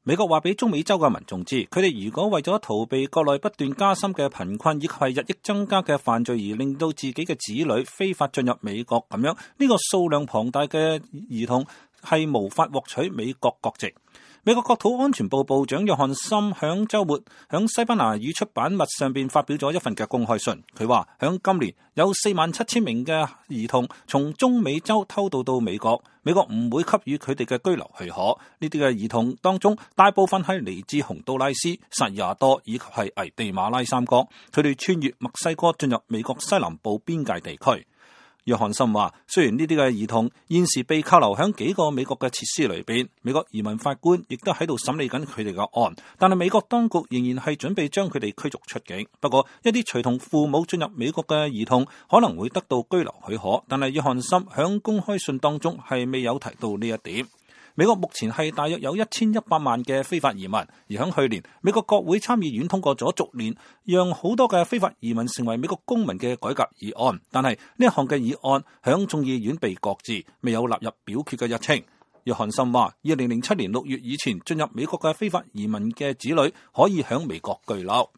美國話俾中美洲嘅民眾知，佢哋如果為咗逃避國內不斷加深嘅貧困以及係日益增加嘅犯罪而令到自己嘅子女非法進入美國咁樣，呢個數量龐大嘅兒童係無法獲取美國國籍。美國國土安全部部長約翰森響週末響西班牙語出版物上邊發表咗一份嘅公開信，佢話響今年有47000名嘅兒童從中美洲偷渡到美國，美國唔會給予佢哋嘅居留許可。呢啲嘅兒童當中，大部分係嚟自洪都拉斯、薩爾瓦多以及係危地馬拉三國，佢哋穿越墨西哥進入美國西南部邊界地區。約翰森話，雖然呢啲嘅兒童現時被扣留喺幾個美國嘅設施裏邊，美國移民法官亦都喺度審理緊佢哋嘅案，但係美國當局仍然係準備將佢哋驅逐出境。不過一啲隨同父母進入美國嘅兒童可能會得到居留許可，但係約翰森喺公開信當中係未有提到呢一點。美國目前係大約有1100萬嘅非法移民，而喺去年，美國國會參議院通過咗逐年讓好多嘅非法移民成為美國公民嘅改革議案，但係呢一項嘅議案喺眾議院被擱置，未有納入表決嘅日程。約翰森話，2007年6月以前進入美國嘅非法移民嘅子女可以喺美國居留。